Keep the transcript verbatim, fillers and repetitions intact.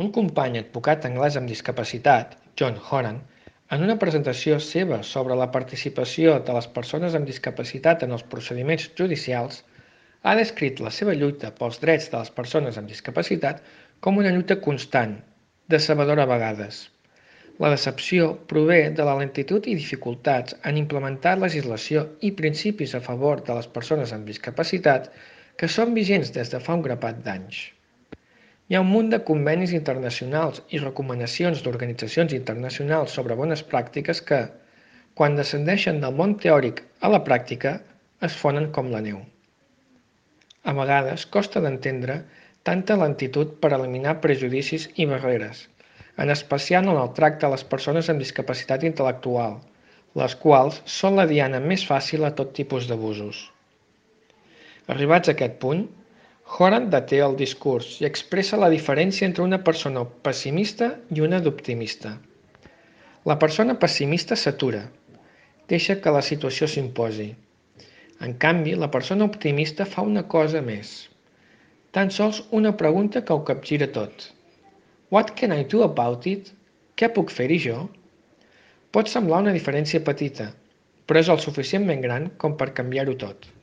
Un company advocat anglès amb discapacitat, John Horan, en una presentació seva sobre la participació de les persones amb discapacitat en els procediments judicials, ha descrit la seva lluita pels drets de les persones amb discapacitat com una lluita constant, decebedora a vegades. La decepció prové de la lentitud i dificultats en implementar legislació i principis a favor de les persones amb discapacitat que són vigents des de fa un grapat d'anys. Hi ha un munt de convenis internacionals i recomanacions d'organitzacions internacionals sobre bones pràctiques que, quan descendeixen del món teòric a la pràctica, es fonen com la neu. A vegades costa d'entendre tanta lentitud per eliminar prejudicis i barreres, en especial en el tracte a les persones amb discapacitat intel·lectual, les quals són la diana més fàcil a tot tipus d'abusos. Arribats a aquest punt, Horan deté el discurs i expressa la diferència entre una persona pessimista i una d'optimista. La persona pessimista s'atura, deixa que la situació s'imposi. En canvi, la persona optimista fa una cosa més. Tan sols una pregunta que ho capgira tot. What can I do about it? Què puc fer-hi jo? Pot semblar una diferència petita, però és el suficientment gran com per canviar-ho tot.